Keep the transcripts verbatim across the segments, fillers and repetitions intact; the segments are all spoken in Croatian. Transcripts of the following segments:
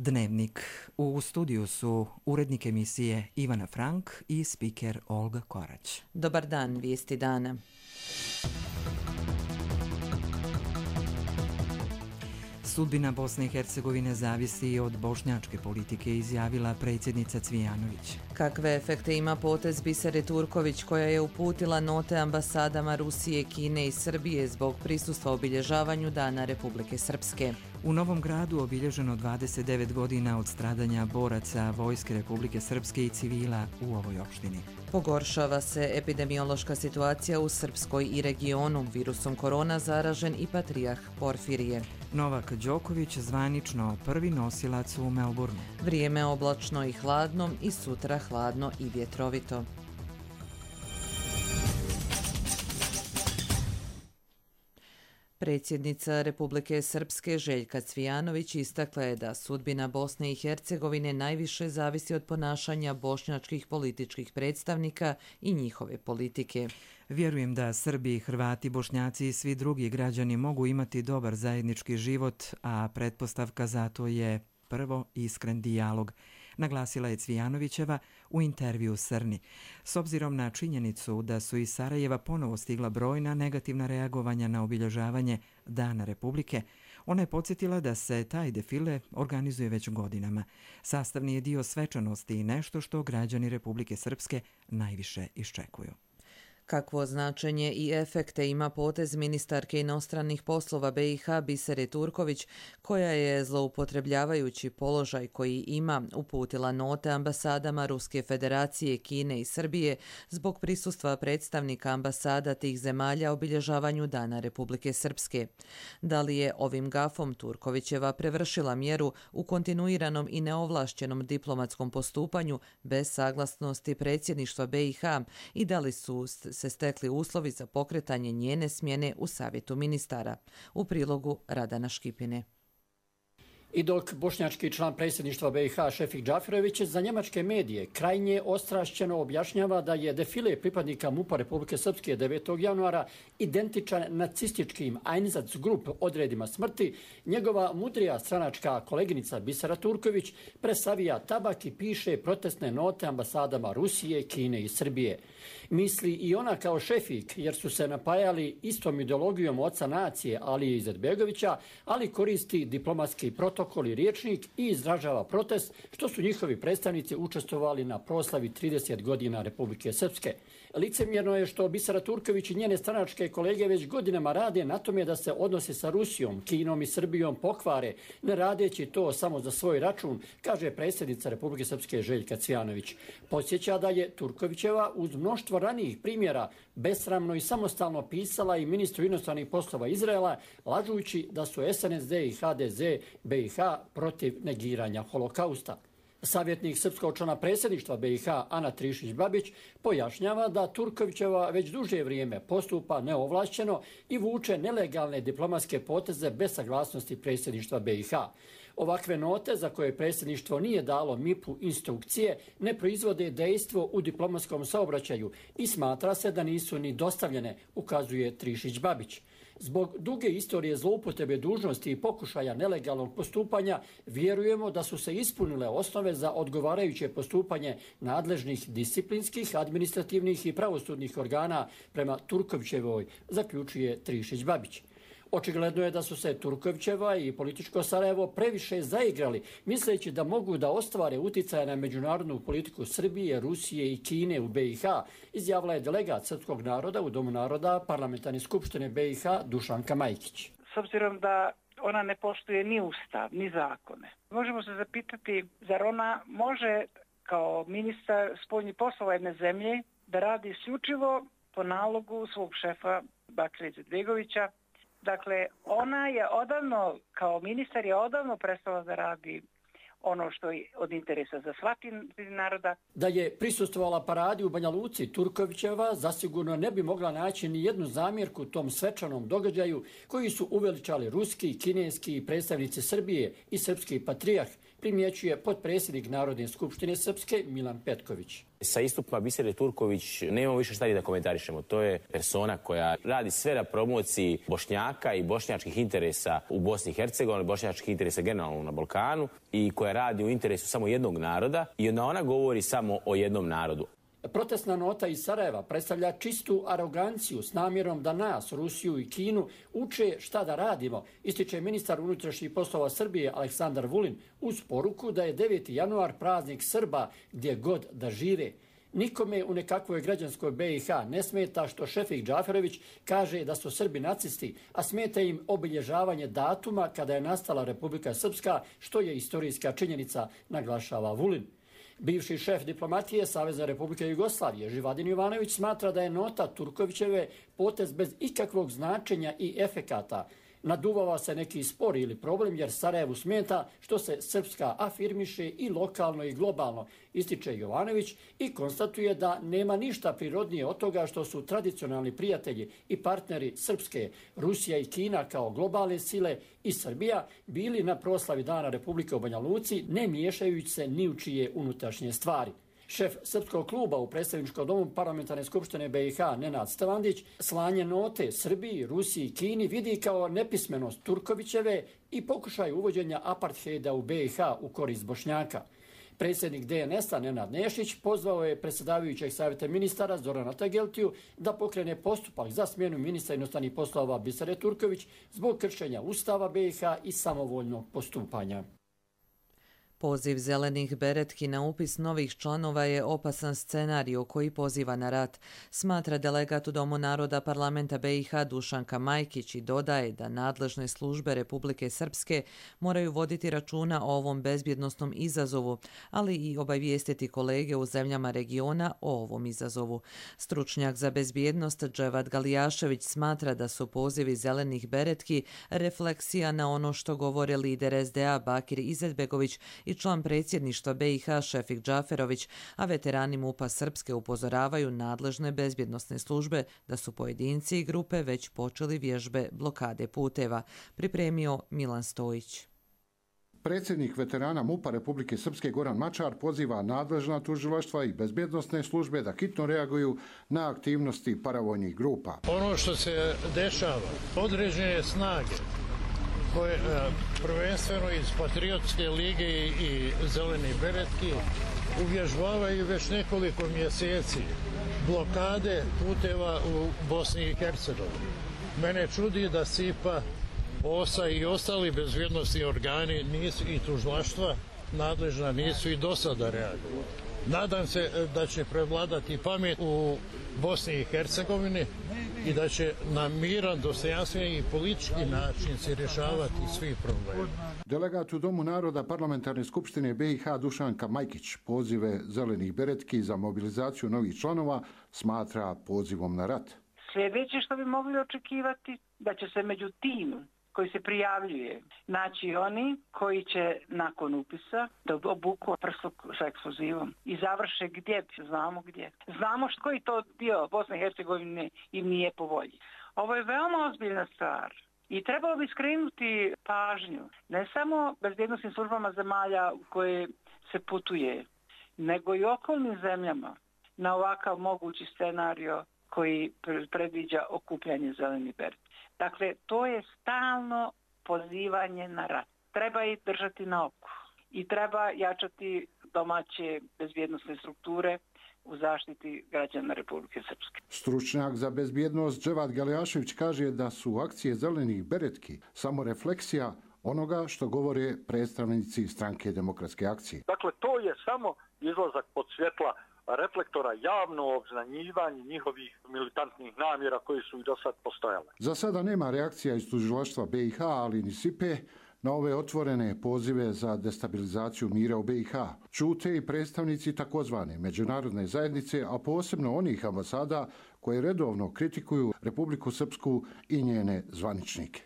Dnevnik. U studiju su urednik emisije Ivana Frank i spiker Olga Korać. Dobar dan, vijesti dana. Sudbina Bosne i Hercegovine zavisi od bošnjačke politike, izjavila predsjednica Cvijanović. Kakve efekte ima potez Bisere Turković, koja je uputila note ambasadama Rusije, Kine i Srbije zbog prisustva obilježavanju Dana Republike Srpske? U Novom Gradu obilježeno dvadeset devet godina od stradanja boraca Vojske Republike Srpske i civila u ovoj opštini. Pogoršava se epidemiološka situacija u Srpskoj i regionu. Virusom korona zaražen i patrijarh Porfirije. Novak Đoković zvanično prvi nosilac u Melbourneu. Vrijeme oblačno i hladno i sutra hladno i vjetrovito. Predsjednica Republike Srpske Željka Cvijanović istakla je da sudbina Bosne i Hercegovine najviše zavisi od ponašanja bošnjačkih političkih predstavnika i njihove politike. Vjerujem da Srbi, Hrvati, Bošnjaci i svi drugi građani mogu imati dobar zajednički život, a pretpostavka za to je prvo iskren dijalog, naglasila je Cvijanovićeva u intervju Srni. S obzirom na činjenicu da su iz Sarajeva ponovo stigla brojna negativna reagovanja na obilježavanje Dana Republike, ona je podsjetila da se taj defile organizuje već godinama. Sastavni je dio svečanosti i nešto što građani Republike Srpske najviše iščekuju. Kakvo značenje i efekte ima potez ministarke inostranih poslova B i H Bisere Turković, koja je, zloupotrebljavajući položaj koji ima, uputila note ambasadama Ruske federacije, Kine i Srbije zbog prisustva predstavnika ambasada tih zemalja obilježavanju Dana Republike Srpske? Da li je ovim gafom Turkovićeva prevršila mjeru u kontinuiranom i neovlašćenom diplomatskom postupanju bez saglasnosti predsjedništva B i H i da li su se stekli uslovi za pokretanje njene smjene u Savjetu ministara? U prilogu Radana Škipine. I dok bošnjački član predsjedništva B i H Šefik Džafirović za njemačke medije krajnje ostrašćeno objašnjava da je defile pripadnika MUP-a Republike Srpske devetog januara identičan nacističkim Einsatzgrupp odredima smrti, njegova mudrija stranačka koleginica Bisera Turković presavija tabak i piše protestne note ambasadama Rusije, Kine i Srbije. Misli i ona kao Šefik, jer su se napajali istom ideologijom oca nacije Alije Izetbegovića, ali koristi diplomatski protokol i riječnik i izražava protest što su njihovi predstavnici učestvovali na proslavi trideset godina Republike Srpske. Licemjerno je što Bisera Turković i njene stranačke kolege već godinama rade na tome da se odnosi sa Rusijom, Kinom i Srbijom pokvare, ne radeći to samo za svoj račun, kaže predsjednica Republike Srpske Željka Cvijanović. Podsjeća da je Turkovićeva uz mnoštvo ranijih primjera besramno i samostalno pisala i ministru inostranih poslova Izraela, lažujući da su S N S D i H D Z B i H protiv negiranja holokausta. Savjetnik srpskog člana predsjedništva B i H Ana Trišić-Babić pojašnjava da Turkovićeva već duže vrijeme postupa neovlašćeno i vuče nelegalne diplomatske poteze bez saglasnosti predsjedništva B i H. Ovakve note za koje predsjedništvo nije dalo M I P-u instrukcije ne proizvode dejstvo u diplomatskom saobraćaju i smatra se da nisu ni dostavljene, ukazuje Trišić-Babić. Zbog duge istorije zloupotrebe dužnosti i pokušaja nelegalnog postupanja vjerujemo da su se ispunile osnove za odgovarajuće postupanje nadležnih disciplinskih, administrativnih i pravosudnih organa prema Turkovićevoj, zaključuje Trišić-Babić. Očigledno je da su se Turkovićeva i političko Sarajevo previše zaigrali, misleći da mogu da ostvare uticaje na međunarodnu politiku Srbije, Rusije i Kine u B i H, izjavila je delegat srpskog naroda u Domu naroda Parlamentarne skupštine B i H Dušanka Majkić. S obzirom da ona ne poštuje ni ustav, ni zakone, možemo se zapitati zar ona može kao ministar spoljnih poslova jedne zemlje da radi isključivo po nalogu svog šefa Bakira Izetbegovića. Dakle, ona je odavno, kao ministar je odavno prestala da radi ono što je od interesa za svaki naroda. Da je prisustvovala paradi u Banja Luci, Turkovićeva zasigurno ne bi mogla naći ni jednu zamjerku tom svečanom događaju koji su uveličali ruski, kineski predstavnici Srbije i srpski patrijarh, primjećuje potpredsjednik Narodne skupštine Srpske Milan Petković. Sa istupima Bisere Turković nemamo više šta da komentarišemo. To je persona koja radi sve na promociji Bošnjaka i bošnjačkih interesa u Bosni i Hercegovini, bošnjačkih interesa generalno na Balkanu i koja radi u interesu samo jednog naroda i onda ona govori samo o jednom narodu. Protestna nota iz Sarajeva predstavlja čistu aroganciju s namjerom da nas, Rusiju i Kinu, uče šta da radimo, ističe ministar unutrašnjih poslova Srbije Aleksandar Vulin uz poruku da je deveti januar praznik Srba gdje god da žive. Nikome u nekakvoj građanskoj B i H ne smeta što Šefik Džaferović kaže da su Srbi nacisti, a smeta im obilježavanje datuma kada je nastala Republika Srpska, što je istorijska činjenica, naglašava Vulin. Bivši šef diplomatije Savezne Republike Jugoslavije Živadin Jovanović smatra da je nota Turkovićeve potez bez ikakvog značenja i efekata. Naduvava se neki spor ili problem jer Sarajevu smeta što se Srpska afirmiše i lokalno i globalno, ističe Jovanović i konstatuje da nema ništa prirodnije od toga što su tradicionalni prijatelji i partneri Srpske, Rusija i Kina kao globalne sile i Srbija bili na proslavi Dana Republike u Banja Luci, ne miješajući se ni u čije unutrašnje stvari. Šef Srpskog kluba u predstavničkom domu Parlamentarne skupštine B i H Nenad Stavandić slanje note Srbiji, Rusiji i Kini vidi kao nepismenost Turkovićeve i pokušaj uvođenja apartheida u B i H u korist Bošnjaka. Predsjednik D N S-a Nenad Nešić pozvao je predsjedavajućeg savjeta ministara Zorana Tageltiju da pokrene postupak za smjenu ministra inostranih poslova Bisere Turković zbog kršenja Ustava B i H i samovoljnog postupanja. Poziv zelenih beretki na upis novih članova je opasan scenarij koji poziva na rat, smatra delegat u Domu naroda parlamenta B i H Dušanka Majkić i dodaje da nadležne službe Republike Srpske moraju voditi računa o ovom bezbjednosnom izazovu, ali i obavijestiti kolege u zemljama regiona o ovom izazovu. Stručnjak za bezbjednost Dževad Galijašević smatra da su pozivi zelenih beretki refleksija na ono što govore lider S D A Bakir Izetbegović i član predsjedništva B i H Šefik Džaferović, a veterani MUP-a Srpske upozoravaju nadležne bezbjednosne službe da su pojedinci i grupe već počeli vježbe blokade puteva, pripremio Milan Stojić. Predsjednik veterana MUP-a Republike Srpske Goran Mačar poziva nadležna tužilaštva i bezbjednosne službe da hitno reaguju na aktivnosti paravojnih grupa. Ono što se dešava, određene snage koje prvenstveno iz Patriotske lige i Zeleni beretki uvježbavaju već nekoliko mjeseci blokade puteva u Bosni i Hercegovini. Mene čudi da S I P A, O S A i ostali bezbjednosni organi nisu i tužilaštva nadležna nisu i do sada reagovali. Nadam se da će prevladati pamet u Bosni i Hercegovini i da će na miran, dostojanstven i politički način se rješavati svi problemi. Delegat u Domu naroda Parlamentarne skupštine B i H Dušanka Majkić pozive zelenih beretki za mobilizaciju novih članova smatra pozivom na rat. Sljedeće što bi mogli očekivati da će se među tim koji se prijavljuje naći oni koji će nakon upisa da obuku prsluk sa eksplozivom i završe gdje, znamo gdje. Znamo što koji to dio Bosne i Hercegovine im nije po volji. Ovo je veoma ozbiljna stvar i trebalo bi skrenuti pažnju ne samo bezbjednosnim službama zemalja u koje se putuje, nego i okolnim zemljama na ovakav mogući scenario koji predviđa okupljanje zelenih beretki. Dakle, to je stalno pozivanje na rat. Treba ih držati na oku i treba jačati domaće bezbjednosne strukture u zaštiti građana Republike Srpske. Stručnjak za bezbjednost Dževad Galijašević kaže da su akcije zelenih beretki samo refleksija onoga što govore predstavnici stranke Demokratske akcije. Dakle, to je samo izlazak pod svjetla reflektora, javno obznanjivanje njihovih militantnih namjera koji su i do sad postojale. Za sada nema reakcija iz tužilaštva B i H, ali ni S I P E na ove otvorene pozive za destabilizaciju mira u B i H. Čute i predstavnici takozvane međunarodne zajednice, a posebno onih ambasada koje redovno kritikuju Republiku Srpsku i njene zvaničnike.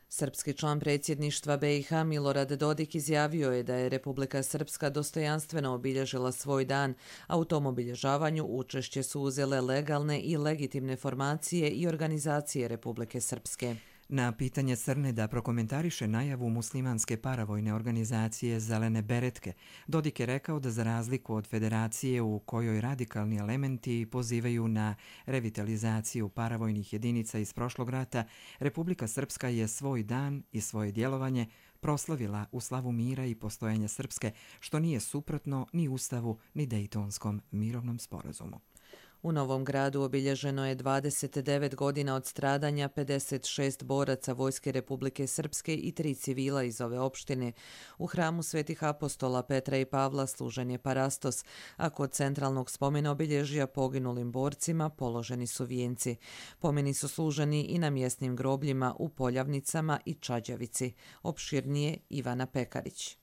Srpski član predsjedništva B i H Milorad Dodik izjavio je da je Republika Srpska dostojanstveno obilježila svoj dan, a u tom obilježavanju učešće su uzele legalne i legitimne formacije i organizacije Republike Srpske. Na pitanje Crne da prokomentariše najavu muslimanske paravojne organizacije Zelene beretke, Dodik je rekao da za razliku od federacije u kojoj radikalni elementi pozivaju na revitalizaciju paravojnih jedinica iz prošlog rata, Republika Srpska je svoj dan i svoje djelovanje proslavila u slavu mira i postojanja Srpske, što nije suprotno ni Ustavu ni Dejtonskom mirovnom sporazumu. U Novom Gradu obilježeno je dvadeset devet godina od stradanja pedeset šest boraca Vojske Republike Srpske i tri civila iz ove opštine. U hramu Svetih apostola Petra i Pavla služen je parastos, a kod centralnog spomena obilježija poginulim borcima položeni su vijenci. Pomeni su služeni i na mjesnim grobljima u Poljavnicama i Čađavici. Opširnije Ivana Pekarić.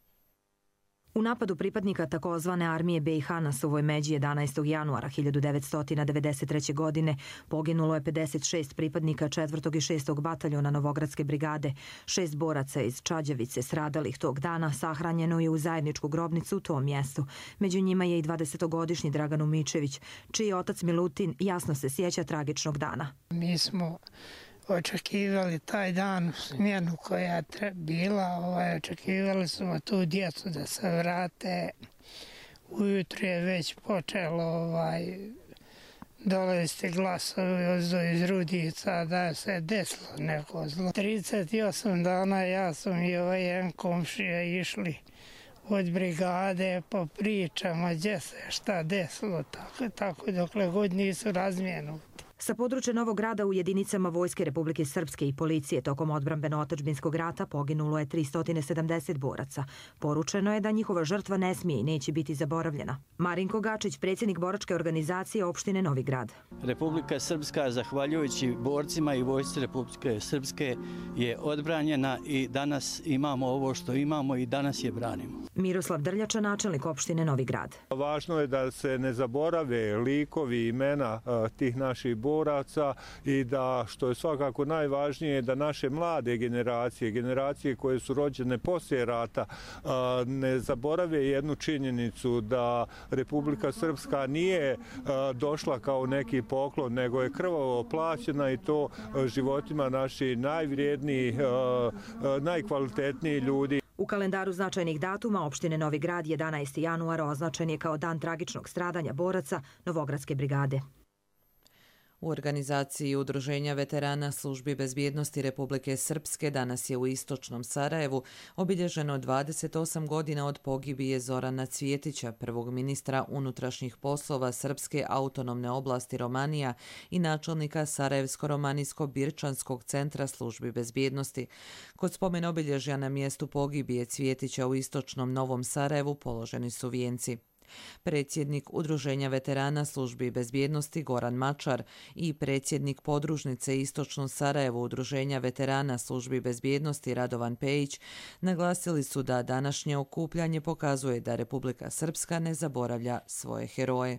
U napadu pripadnika takozvane armije B i H na Suvoj Međi jedanaestog januara hiljadu devetsto devedeset treće. godine poginulo je pedeset šest pripadnika četvrtog i šestog bataljona Novogradske brigade. Šest boraca iz Čađavice stradalih tog dana sahranjeno je u zajedničku grobnicu u tom mjestu. Među njima je i dvadesetogodišnji Dragan Umičević, čiji otac Milutin jasno se sjeća tragičnog dana. Mi smo očekivali taj dan, smjenu koja je bila, ovaj, očekivali smo tu djecu da se vrate. Ujutro je već počelo ovaj, dolaziti glasovi iz Rudica da se desilo neko zlo. trideset osam dana ja sam i ovaj jedan komšija išli od brigade po pričama gdje se šta desilo, tako, tako dokle god nisu razmijenuti. Sa područja Novog Grada u jedinicama Vojske Republike Srpske i policije tokom odbrambeno-otadžbinskog rata poginulo je tristo sedamdeset boraca. Poručeno je da njihova žrtva ne smije i neće biti zaboravljena. Marinko Gačić, predsjednik boračke organizacije opštine Novi Grad. Republika Srpska, zahvaljujući borcima i Vojsci Republike Srpske, je odbranjena i danas imamo ovo što imamo i danas je branimo. Miroslav Drljača, načelnik opštine Novi Grad. Važno je da se ne zaborave likovi i imena tih naših boraca i da, što je svakako najvažnije, da naše mlade generacije, generacije koje su rođene poslije rata, ne zaborave jednu činjenicu da Republika Srpska nije došla kao neki poklon, nego je krvavo plaćena i to životima naših najvrijednijih, najkvalitetnijih ljudi. U kalendaru značajnih datuma opštine Novi Grad jedanaesti januar označen je kao dan tragičnog stradanja boraca Novogradske brigade. U organizaciji Udruženja veterana službi bezbjednosti Republike Srpske danas je u istočnom Sarajevu obilježeno dvadeset osam godina od pogibije Zorana Cvjetića, prvog ministra unutrašnjih poslova Srpske autonomne oblasti Romanija i načelnika Sarajevsko-Romanijsko-Birčanskog centra službi bezbjednosti. Kod spomen obilježja na mjestu pogibije Cvjetića u istočnom Novom Sarajevu položeni su vijenci. Predsjednik Udruženja veterana službi bezbjednosti Goran Mačar i predsjednik podružnice Istočnom Sarajevu Udruženja veterana službi bezbjednosti Radovan Pejić naglasili su da današnje okupljanje pokazuje da Republika Srpska ne zaboravlja svoje heroje.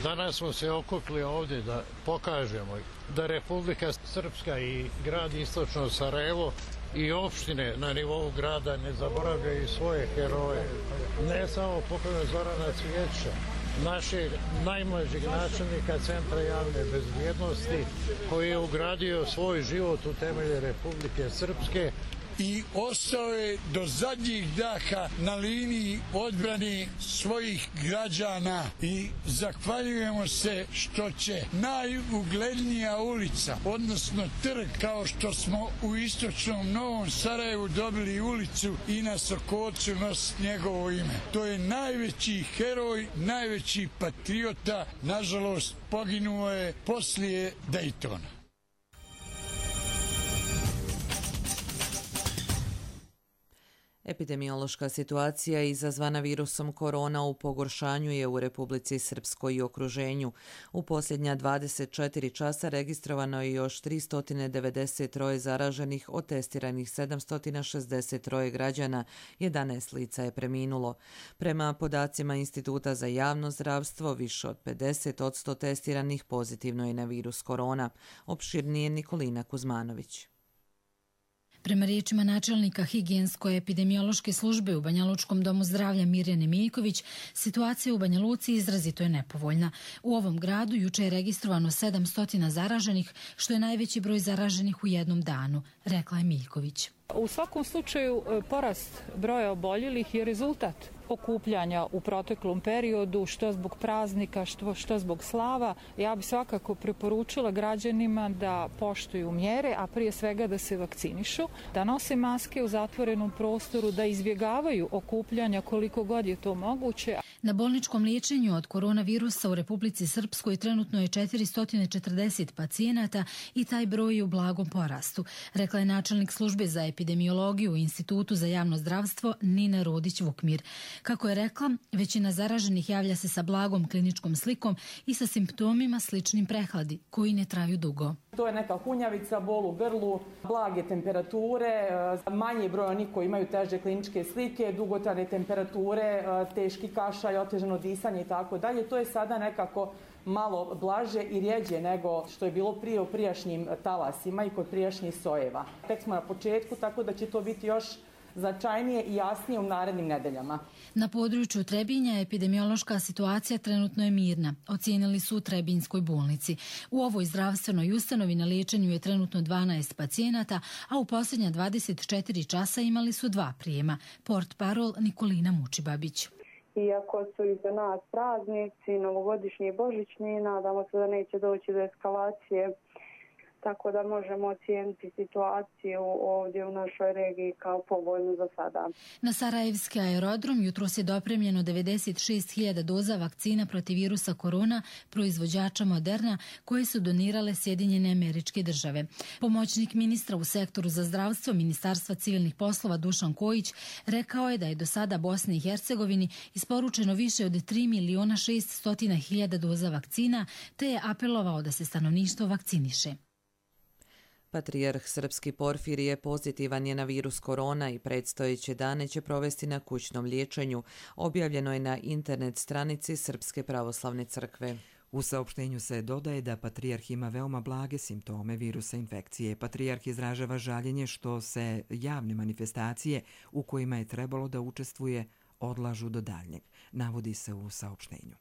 Danas smo se okupili ovdje da pokažemo da Republika Srpska i grad Istočno Sarajevo i opštine na nivou grada ne zaboravljaju svoje heroje. Ne samo pokojnog Zorana Cvjetića, našeg najmlađeg načelnika Centra javne bezbjednosti, koji je ugradio svoj život u temelje Republike Srpske i ostao je do zadnjih daha na liniji odbrane svojih građana i zahvaljujemo se što će najuglednija ulica, odnosno trg, kao što smo u istočnom Novom Sarajevu dobili ulicu i na Sokolcu nositi njegovo ime. To je najveći heroj, najveći patriota, nažalost poginuo je poslije Dejtona. Epidemiološka situacija izazvana virusom korona u pogoršanju je u Republici Srpskoj i okruženju. U posljednja dvadeset četiri časa registrovano je još tristo devedeset tri zaraženih, od testiranih sedamsto šezdeset tri građana, jedanaest lica je preminulo. Prema podacima Instituta za javno zdravstvo, više od pedeset posto testiranih pozitivno je na virus korona. Opširnije Nikolina Kuzmanović. Prema riječima načelnika higijensko-epidemiološke službe u Banjalučkom domu zdravlja Mirjane Miljković, situacija u Banja Luci izrazito je nepovoljna. U ovom gradu juče je registrovano sedamsto zaraženih, što je najveći broj zaraženih u jednom danu, rekla je Miljković. U svakom slučaju porast broja oboljelih je rezultat okupljanja u proteklom periodu, što zbog praznika, što, što zbog slava. Ja bih svakako preporučila građanima da poštuju mjere, a prije svega da se vakcinišu, da nose maske u zatvorenom prostoru, da izbjegavaju okupljanja koliko god je to moguće. Na bolničkom liječenju od koronavirusa u Republici Srpskoj trenutno je četiristo četrdeset pacijenata i taj broj je u blagom porastu, rekla je načelnik službe za epidemiologiju u Institutu za javno zdravstvo Nina Rodić-Vukmir. Kako je rekla, većina zaraženih javlja se sa blagom kliničkom slikom i sa simptomima sličnim prehladi, koji ne traju dugo. To je neka hunjavica, bol u grlu, blage temperature, manji broj onih koji imaju teže kliničke slike, dugotrajne temperature, teški kašalj, otežano disanje i tako dalje. To je sada nekako malo blaže i rjeđe nego što je bilo prije u prijašnjim talasima i kod prijašnjih sojeva. Tek smo na početku, tako da će to biti još značajnije i jasnije u narednim nedeljama. Na području Trebinja epidemiološka situacija trenutno je mirna, ocijenili su u Trebinjskoj bolnici. U ovoj zdravstvenoj ustanovi na liječenju je trenutno dvanaest pacijenata, a u posljednja dvadeset četiri časa imali su dva prijema. Portparol Nikolina Mučibabić. Iako su iza nas praznici, novogodišnji i božićni, nadamo se da neće doći do eskalacije, tako da možemo ocijeniti situaciju ovdje u našoj regiji kao povoljnu za sada. Na Sarajevski aerodrom jutros je dopremljeno devedeset šest hiljada doza vakcina protiv virusa korona proizvođača Moderna, koje su donirale Sjedinjene Američke Države. Pomoćnik ministra u sektoru za zdravstvo Ministarstva civilnih poslova Dušan Kojić rekao je da je do sada Bosni i Hercegovini isporučeno više od tri miliona šesto hiljada doza vakcina, te je apelovao da se stanovništvo vakciniše. Patrijarh srpski Porfirije pozitivan je na virus korona i predstojeće dane će provesti na kućnom liječenju. Objavljeno je na internet stranici Srpske pravoslavne crkve. U saopštenju se dodaje da patrijarh ima veoma blage simptome virusa infekcije. Patrijarh izražava žaljenje što se javne manifestacije u kojima je trebalo da učestvuje odlažu do daljnjeg, navodi se u saopštenju.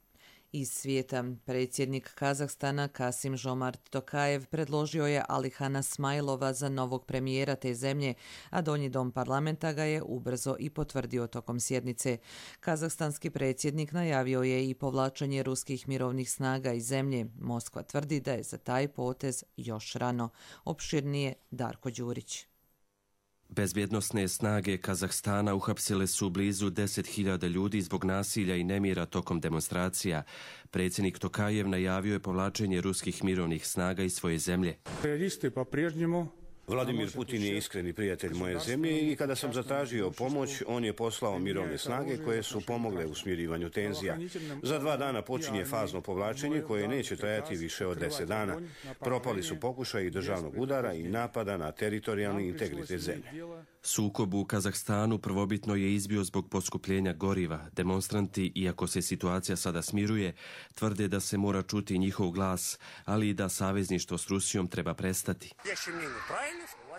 Iz svijeta, predsjednik Kazahstana Kasim Žomart Tokajev predložio je Alihana Smajlova za novog premijera te zemlje, a donji dom parlamenta ga je ubrzo i potvrdio tokom sjednice. Kazahstanski predsjednik najavio je i povlačenje ruskih mirovnih snaga iz zemlje. Moskva tvrdi da je za taj potez još rano. Opširnije Darko Đurić. Bezbjednosne snage Kazahstana uhapsile su blizu deset hiljada ljudi zbog nasilja i nemira tokom demonstracija. Predsjednik Tokajev najavio je povlačenje ruskih mirovnih snaga iz svoje zemlje. Vladimir Putin je iskreni prijatelj moje zemlje i kada sam zatražio pomoć, on je poslao mirovne snage koje su pomogle u smirivanju tenzija. Za dva dana počinje fazno povlačenje koje neće trajati više od deset dana. Propali su pokušaji državnog udara i napada na teritorijalni integritet zemlje. Sukob u Kazahstanu prvobitno je izbio zbog poskupljenja goriva. Demonstranti, iako se situacija sada smiruje, tvrde da se mora čuti njihov glas, ali i da savezništvo s Rusijom treba prestati.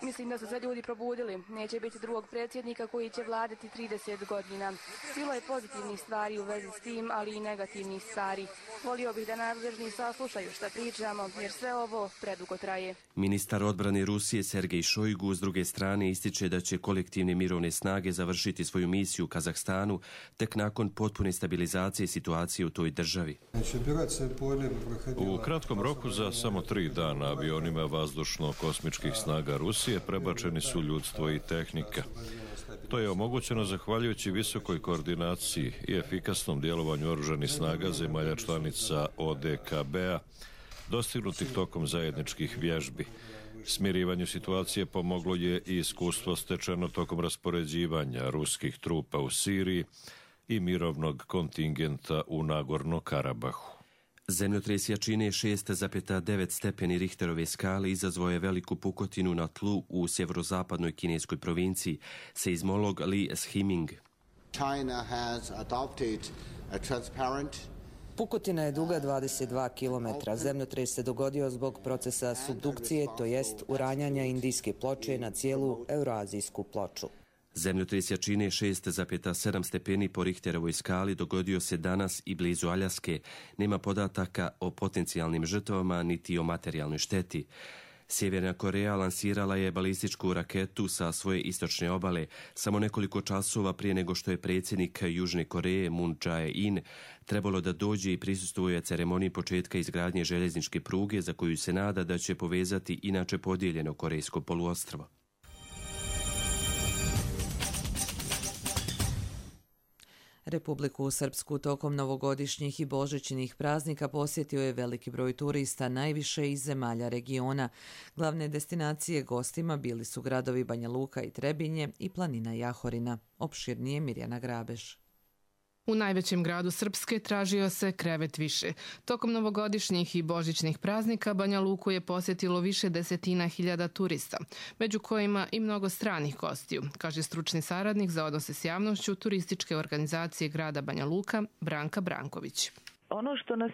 Mislim da su se ljudi probudili. Neće biti drugog predsjednika koji će vladati trideset godina. Bilo je pozitivnih stvari u vezi s tim, ali i negativnih stvari. Volio bih da nadležni saslušaju šta pričamo, jer sve ovo predugo traje. Ministar odbrane Rusije Sergej Šojgu s druge strane ističe da će kolektivne mirovne snage završiti svoju misiju u Kazahstanu tek nakon potpune stabilizacije situacije u toj državi. U kratkom roku za samo tri dana avionima vazdušno-kosmičkih snaga Rusije prebačeni su ljudstvo i tehnika. To je omogućeno zahvaljujući visokoj koordinaciji i efikasnom djelovanju oružanih snaga zemalja članica O D K B-a, dostignutih tokom zajedničkih vježbi. Smirivanju situacije pomoglo je i iskustvo stečeno tokom raspoređivanja ruskih trupa u Siriji i mirovnog kontingenta u Nagorno-Karabahu. Zemljotres jačine šest zarez devet stepeni Richterove skale izazvao je veliku pukotinu na tlu u sjeverozapadnoj kineskoj provinciji, seizmolog Li Shiming. China has adopted a transparent Pukotina je duga dvadeset dva kilometra. Zemljotres se dogodio zbog procesa subdukcije, to jest uranjanja indijske ploče na cijelu euroazijsku ploču. Zemljotres jačine šest zarez sedam stepeni po Richterovoj skali dogodio se danas i blizu Aljaske. Nema podataka o potencijalnim žrtvama niti o materijalnoj šteti. Sjeverna Koreja lansirala je balističku raketu sa svoje istočne obale samo nekoliko časova prije nego što je predsjednik Južne Koreje Moon Jae-in trebalo da dođe i prisustvuje ceremoniji početka izgradnje željezničke pruge za koju se nada da će povezati inače podijeljeno korejsko poluostrvo. Republiku Srpsku tokom novogodišnjih i božićnih praznika posjetio je veliki broj turista, najviše iz zemalja regiona. Glavne destinacije gostima bili su gradovi Banja Luka i Trebinje i planina Jahorina. Opširnije Mirjana Grabeš. U najvećem gradu Srpske tražio se krevet više. Tokom novogodišnjih i božićnih praznika Banja Luku je posjetilo više desetina hiljada turista, među kojima i mnogo stranih gostiju, kaže stručni saradnik za odnose s javnošću turističke organizacije grada Banja Luka Branka Branković. Ono što nas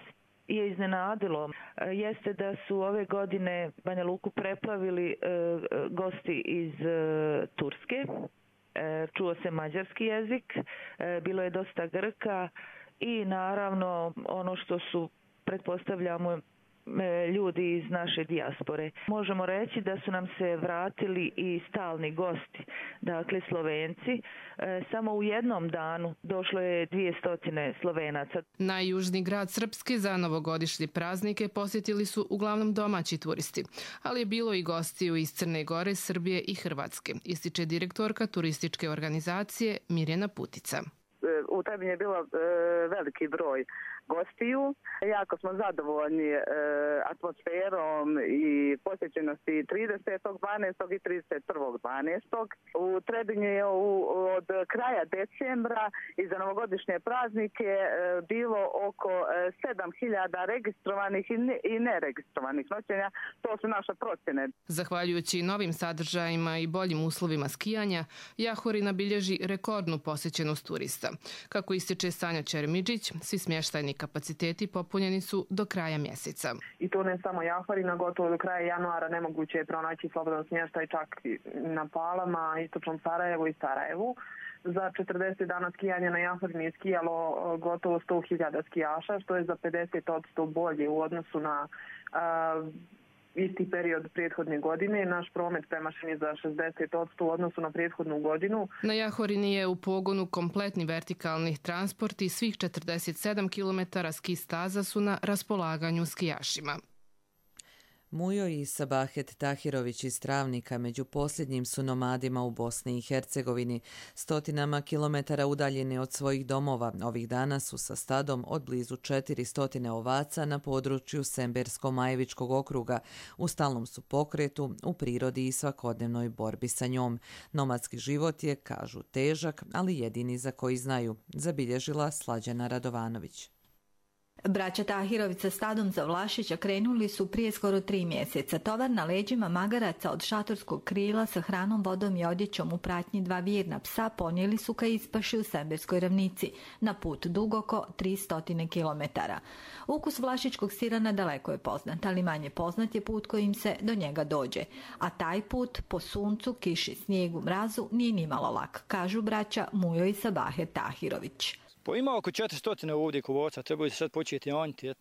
je iznenadilo jeste da su ove godine Banja Luku preplavili gosti iz Turske. Čuo se mađarski jezik, bilo je dosta Grka i naravno ono što su, pretpostavljamo, ljudi iz naše dijaspore. Možemo reći da su nam se vratili i stalni gosti, dakle Slovenci. Samo u jednom danu došlo je dvjesto Slovenaca. Najjužniji grad Srpske za novogodišnje praznike posjetili su uglavnom domaći turisti, ali je bilo i gostiju iz Crne Gore, Srbije i Hrvatske, ističe direktorka turističke organizacije Mirjana Putica. U Trebinju je bilo veliki broj gostiju. Jako smo zadovoljni e, atmosferom i posjećenosti tridesetog dvanaestog i trideset prvog dvanaestog U Trebinju je u, od kraja decembra i za novogodišnje praznike e, bilo oko sedam hiljada registrovanih i, ne, i neregistrovanih noćenja. To su naše procjene. Zahvaljujući novim sadržajima i boljim uslovima skijanja, Jahorina bilježi rekordnu posjećenost turista. Kako ističe Sanja Čermidžić, svi smještajni kapaciteti popunjeni su do kraja mjeseca. I to ne samo Jahorina, gotovo do kraja januara nemoguće je pronaći slobodan smještaj čak na Palama, istočnom Sarajevu i Sarajevu. Za četrdeset dana skijanja na Jahorini je skijalo gotovo sto hiljada skijaša, što je za pedeset posto bolje u odnosu na uh, isti period prethodne godine. Naš promet premašen je za šezdeset posto u odnosu na prethodnu godinu. Na Jahorini je u pogonu kompletni vertikalni transport i svih četrdeset sedam kilometara ski staza su na raspolaganju skijašima. Mujo i Sabahet Tahirović iz Travnika među posljednjim su nomadima u Bosni i Hercegovini. Stotinama kilometara udaljeni od svojih domova, ovih dana su sa stadom od blizu četiristo ovaca na području Sembersko-Majevičkog okruga. U stalnom su pokretu, u prirodi i svakodnevnoj borbi sa njom. Nomadski život je, kažu, težak, ali jedini za koji znaju, zabilježila Slađana Radovanović. Braća Tahirović sa stadom za Vlašića krenuli su prije skoro tri mjeseca. Tovar na leđima magaraca od šatorskog krila sa hranom, vodom i odjećom u pratnji dva vjerna psa ponijeli su ka ispaši u Semberskoj ravnici, na put dug oko tristo kilometara. Ukus vlašičkog sira nadaleko je poznat, ali manje poznat je put kojim se do njega dođe. A taj put po suncu, kiši, snijegu, mrazu nije nimalo lak, kažu braća Mujo i Sabahet Tahirović. Pa ima oko četiristo ovdje kovaca, trebaju se sad početi anjiti.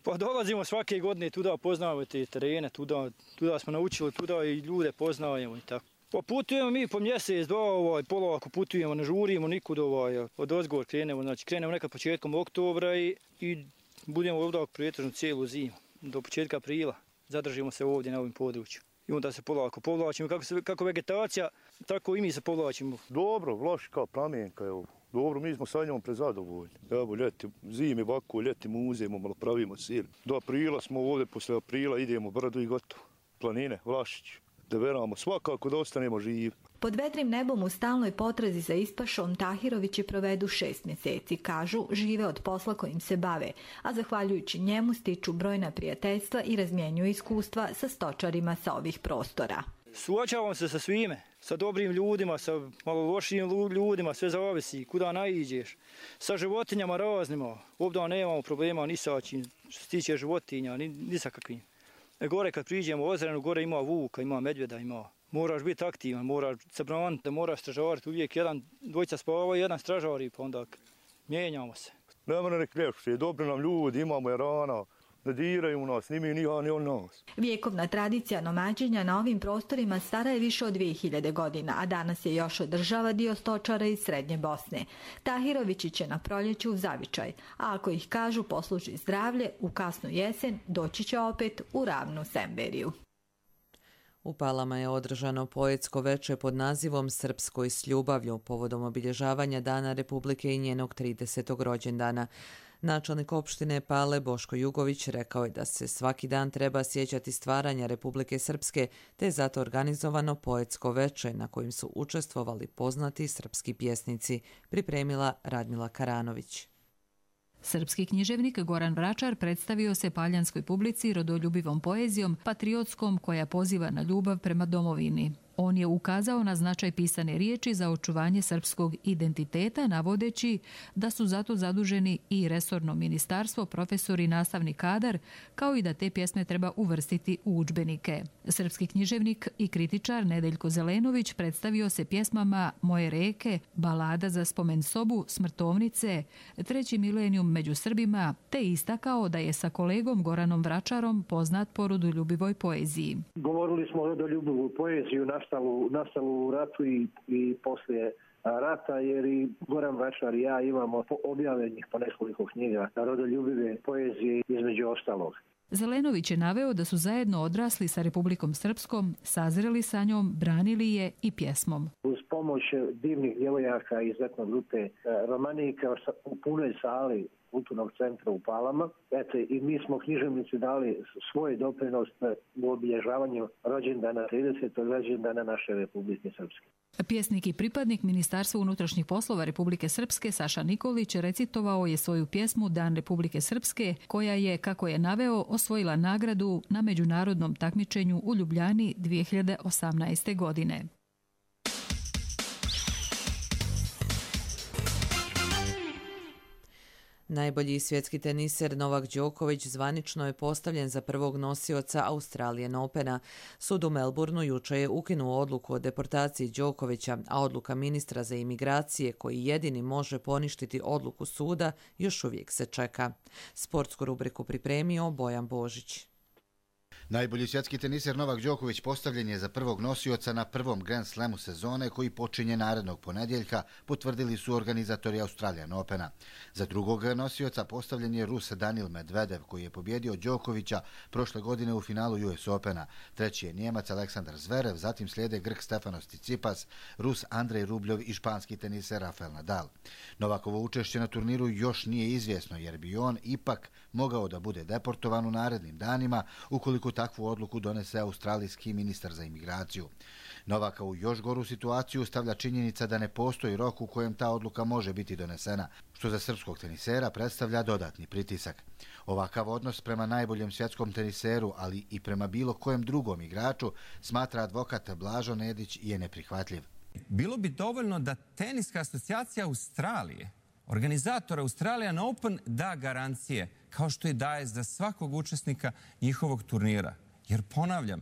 Pa dolazimo svake godine tuda, poznavamo te terene, tuda, tuda smo naučili, tuda i ljude poznajemo i tako. Pa putujemo mi po mjesec, dva, ovaj, polako putujemo, ne žurimo nikud, ovaj, od ozgor krenemo, znači krenemo nekad početkom oktobra i, i budemo ovdje prijetežno cijelu zimu, do početka aprila, zadržimo se ovdje na ovim području. I onda se polako povlačimo, kako, se, kako vegetacija, tako i mi se povlačimo. Dobro, Vlaš kao plamenka je ovo. Dobro, mi smo sa njom prezadovoljni. Evo, ljeti, zimi ovako, ljeti muzemo, malo pravimo sir. Do aprila smo ovdje, posle aprila idemo brdu i gotovo. Planine, Vlašić, da veramo svakako da ostanemo živi. Pod vedrim nebom u stalnoj potrazi za ispašom Tahirovići provedu šest mjeseci. Kažu, žive od posla kojim se bave, a zahvaljujući njemu stiču brojna prijateljstva i razmjenjuju iskustva sa stočarima sa ovih prostora. Suočavamo se sa svime, sa dobrim ljudima, sa malo lošim ljudima, sve zavisi, kuda naiđeš. Sa životinjama raznima, ovdje nemamo problema ni sa čim, što se tiče životinja, ni, ni sa kakvim. E gore kad priđemo u Ozrenu, gore ima vuka, ima medvjeda, ima. Moraš biti aktivan, moraš se braniti, moraš stražariti, uvijek jedan dvojica spava i jedan stražari, pa onda mijenjamo se. Nema nek ljepše, dobri nam ljudi, imamo jarana. Ne diraju nas, ni mi, ni on, ni on nas. Vjekovna tradicija nomađenja na ovim prostorima stara je više od dvije hiljade godina, a danas je još održava dio stočara iz Srednje Bosne. Tahirovići će na proljeću u zavičaj, a ako ih kažu posluži zdravlje, u kasnu jesen doći će opet u ravnu Semberiju. U Palama je održano poetsko veče pod nazivom Srpskoj s ljubavlju povodom obilježavanja Dana Republike i njenog tridesetog rođendana. Načelnik opštine Pale Boško Jugović rekao je da se svaki dan treba sjećati stvaranja Republike Srpske, te je zato organizovano poetsko veče na kojem su učestvovali poznati srpski pjesnici, pripremila Radmila Karanović. Srpski književnik Goran Vračar predstavio se paljanskoj publici rodoljubivom poezijom, patriotskom koja poziva na ljubav prema domovini. On je ukazao na značaj pisane riječi za očuvanje srpskog identiteta, navodeći da su zato zaduženi i resorno ministarstvo, profesori i nastavni kadar, kao i da te pjesme treba uvrstiti u udžbenike. Srpski književnik i kritičar Nedeljko Zelenović predstavio se pjesmama Moje reke, Balada za spomen sobu, Smrtovnice, Treći milenijum među Srbima, te istakao da je sa kolegom Goranom Vračarom poznat po rodoljubivoj poeziji. Govorili smo o rodoljubivu poeziju nastalu, nastalu u ratu i, i poslije rata, jer i Goran Vračar i ja imamo objavljenih po nekoliko knjiga rodoljubive poezije između ostalog. Zelenović je naveo da su zajedno odrasli sa Republikom Srpskom, sazreli sa njom, branili je i pjesmom. Uz pomoć divnih djevojaka iz etno grupe Romanika u punoj sali kulturnog centra u Palama. Eto, i mi smo književnici dali svoj doprinos u obilježavanju rođendana, tridesetog rođendana naše Republike Srpske. Pjesnik i pripadnik Ministarstva unutrašnjih poslova Republike Srpske Saša Nikolić recitovao je svoju pjesmu Dan Republike Srpske, koja je, kako je naveo, osvojila nagradu na međunarodnom takmičenju u Ljubljani dvije hiljade osamnaeste. godine. Najbolji svjetski teniser Novak Đoković zvanično je postavljen za prvog nosioca Australian Opena. Sud u Melbourneu jučer je ukinuo odluku o deportaciji Đokovića, a odluka ministra za imigracije, koji jedini može poništiti odluku suda, još uvijek se čeka. Sportsku rubriku pripremio Bojan Božić. Najbolji svjetski teniser Novak Đoković postavljen je za prvog nosioca na prvom Grand Slamu sezone koji počinje narednog ponedjeljka, potvrdili su organizatori Australian Opena. Za drugog nosioca postavljen je Rus Danil Medvedev koji je pobjedio Đokovića prošle godine u finalu U S Opena. Treći je Njemac Aleksandar Zverev, zatim slijede Grk Stefanos Tsitsipas, Rus Andrej Rubljov i španski teniser Rafael Nadal. Novakovo učešće na turniru još nije izvjesno jer bi on ipak mogao da bude deportovan u narednim danima ukoliko takvu odluku donese australijski ministar za imigraciju. Novaka u još goru situaciju stavlja činjenica da ne postoji rok u kojem ta odluka može biti donesena, što za srpskog tenisera predstavlja dodatni pritisak. Ovakav odnos prema najboljem svjetskom teniseru, ali i prema bilo kojem drugom igraču, smatra advokat Blažo Nedić je neprihvatljiv. Bilo bi dovoljno da Teniska asocijacija Australije, organizator Australian Open, da garancije, kao što i daje za svakog učesnika njihovog turnira. Jer ponavljam,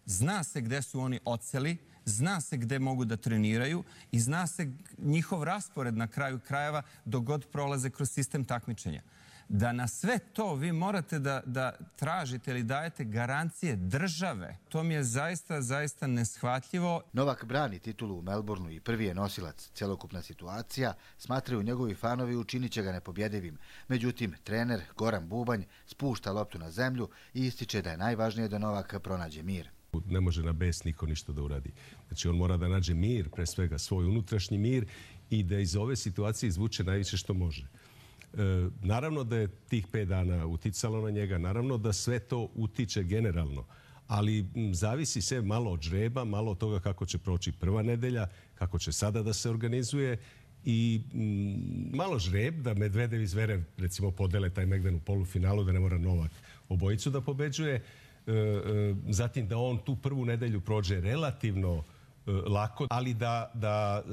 zna se gde su oni odseli, zna se gde mogu da treniraju i zna se njihov raspored na kraju krajeva dok god prolaze kroz sistem takmičenja. Da na sve to vi morate da, da tražite ili dajete garancije države, to mi je zaista, zaista neshvatljivo. Novak brani titulu u Melbourneu i prvi je nosilac. Celokupna situacija, smatraju njegovi fanovi, učinit će ga nepobjedivim. Međutim, trener Goran Bubanj spušta loptu na zemlju i ističe da je najvažnije da Novak pronađe mir. Ne može na bes niko ništa da uradi. Znači on mora da nađe mir, pre svega svoj unutrašnji mir i da iz ove situacije izvuče najviše što može. E, naravno da je tih pet dana uticalo na njega, naravno da sve to utiče generalno, ali m, zavisi sve malo od žreba, malo od toga kako će proći prva nedelja, kako će sada da se organizuje i m, malo žreb da Medvedev i Zverev recimo podele taj Megdan u polufinalu, da ne mora Novak obojicu da pobeđuje. zatim da on tu prvu nedelju prođe relativno lako, ali da, da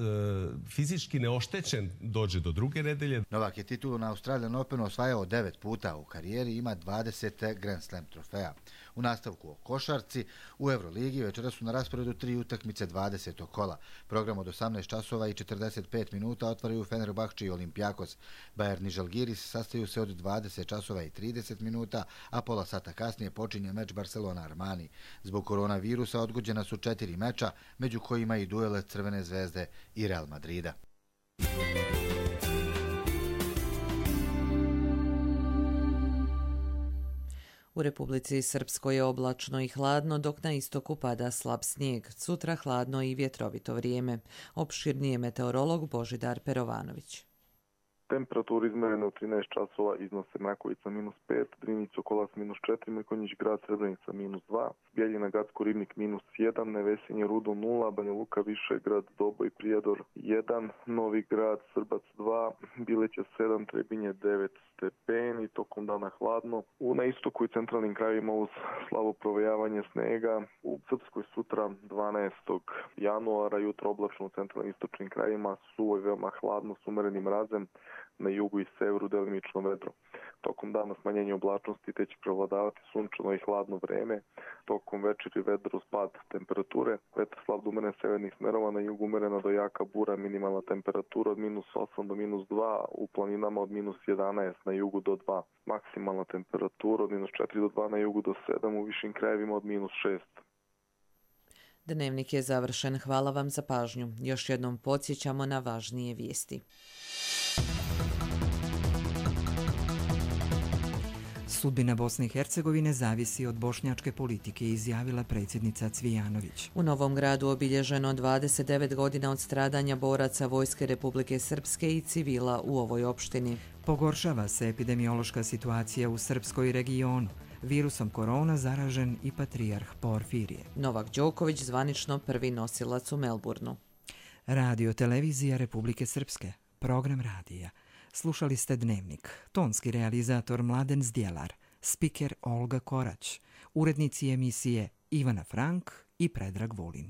fizički neoštećen dođe do druge nedelje. Novak je titulu na Australian Openu osvajao devet puta u karijeri, ima dvadeset Grand Slam trofeja. U nastavku o košarci, u Euroligi večera su na rasporedu tri utakmice dvadesetog kola. Program od osamnaest časova i četrdeset pet minuta otvaraju Fenerbahče i Olympiakos. Bayern i Žalgiris sastaju se od dvadeset časova i trideset minuta, a pola sata kasnije počinje meč Barcelona-Armani. Zbog koronavirusa odgođena su četiri meča, među kojima i duele Crvene zvezde i Real Madrida. U Republici Srpskoj je oblačno i hladno, dok na istoku pada slab snijeg. Sutra hladno i vjetrovito vrijeme. Opširnije meteorolog Božidar Perovanović. Temperatura izmerena u trinaest časova iznose Mrakovica minus pet, Drinić Okolac minus četiri, Mrkonjić grad Srebrenica minus dva, Bjeljina Gacko Ribnik minus jedan, Nevesinje Rudo nula, Banja Luka Višegrad, Doboj Prijedor jedan, Novi grad Srbac dva, Bileća sedam, Trebinje devet stepeni, tokom dana hladno. U na istoku i centralnim krajevima uz slabo provejavanje snega. U Srpskoj sutra dvanaestog januara jutro oblačno u centralnim istočnim krajevima, suvo i veoma hladno s umerenim mrazem, na jugu i severu delimično vedro. Tokom dana smanjenje oblačnosti te će prevladavati sunčano i hladno vreme. Tokom večeri vedro spad temperature, vetar slab do umeren severnih smerova, na jugu umerena do jaka bura, minimalna temperatura od minus osam do minus dva, u planinama od minus jedanaest, na jugu do dva. Maksimalna temperatura od minus četiri do dva, na jugu do sedam, u višim krajevima od minus šest. Dnevnik je završen. Hvala vam za pažnju. Još jednom podsjećamo na važnije vijesti. Sudbina Bosne i Hercegovine zavisi od bošnjačke politike, izjavila predsjednica Cvijanović. U Novom Gradu obilježeno dvadeset devet godina od stradanja boraca Vojske Republike Srpske i civila u ovoj opštini. Pogoršava se epidemiološka situacija u srpskoj regionu. Virusom korona zaražen i patrijarh Porfirije. Novak Đoković zvanično prvi nosilac u Melbourneu. Radio Televizija Republike Srpske. Program radija. Slušali ste Dnevnik. Tonski realizator Mladen Zdjelar. Spiker Olga Korać. Urednici emisije Ivana Frank i Predrag Vulin.